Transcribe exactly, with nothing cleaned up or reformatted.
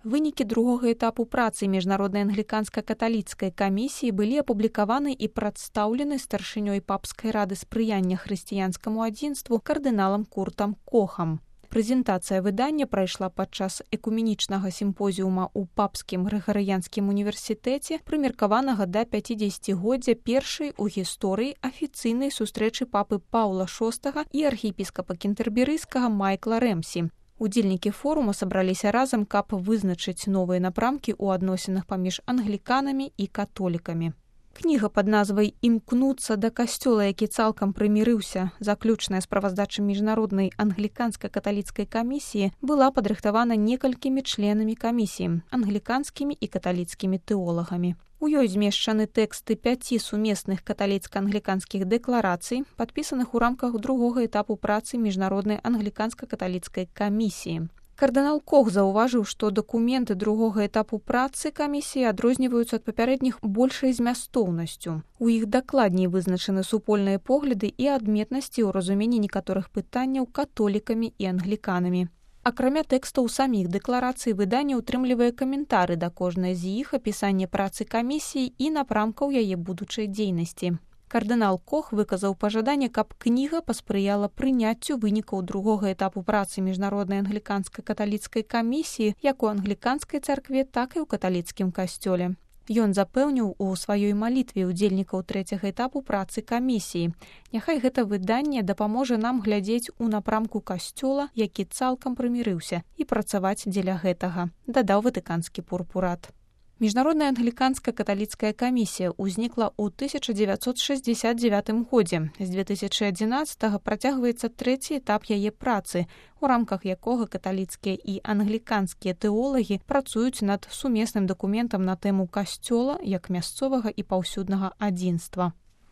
Вынікі другога этапу працы міжнароднай англіканска-каталіцкай камісіі былі апублікаваны і прадстаўлены старшынёй папскай рады спрыяння хрысціянскаму адзінству кардыналам Куртам Кохам. Прэзентацыя выдання прайшла падчас экуменічнага сімпозіума ў папскім грыгарыянскім універсітэце, прымеркаванага да пяцідзесяцігоддзя першай у гісторыі афіцыйнай сустрэчы папы Паўла шостага і архіепіскапа кентэрберыйскага Майкла Рэмсі. Удзельнікі форума сабраліся разам, каб вызначыць новыя напрамкі ў адносінах паміж англіканамі і католікамі. Кніга пад назвай «Імкнуцца да касцёла, які цалкам прымірыўся», заключная справаздача міжнароднай англіканска-каталіцкай камісіі, была падрыхтавана некалькімі членамі камісіі, англіканскімі і каталіцкімі тэолагамі. У ёй змешчаны тэксты пяці сумесных каталіцка-англіканскіх дэкларацый, падпісаных у рамках другога этапу працы міжнароднай англіканска-каталіцкай камісіі. Кардынал Кох заўважыў, што дакументы другога этапу працы камісіі адрозніваюцца ад папярэдніх большай змястоўнасцю. У іх дакладней вызначаны супольныя погляды і адметнасці ў разуменні некаторых пытанняў католікамі і англіканамі. Акрамя тэкстаў саміх дэкларацый, выданне ўтрымлівае каментары да кожнай з іх, апісанне працы камісіі і напрамкаў яе будучай дзейнасці. Кардынал Кох выказаў пажаданне, каб кніга паспрыяла прыняццю вынікаў другога этапу працы міжнароднай англіканска-каталіцкай камісіі як у англіканскай царкве, так і ў каталіцкім касцёле. Ён запэўніў у сваёй малітве ўдзельнікаў трэцяга этапу працы камісіі. Няхай гэта выданне дапаможа нам глядзець у напрамку касцёла, які цалкам прымірыўся, і працаваць дзеля гэтага, дадаў ватыканскі пурпурат. Міжнародная англіканска-каталіцкая камісія ўзнікла ў тысяча дзевяцьсот шэсцьдзесят дзевятым годзе. З две тысячы адзінаццатага працягваецца трэці этап яе працы, у рамках якога каталіцкія і англіканскія тэолагі працуюць над сумесным дакументам на тэму касцёла як мясцовага і паўсюднага адзінства.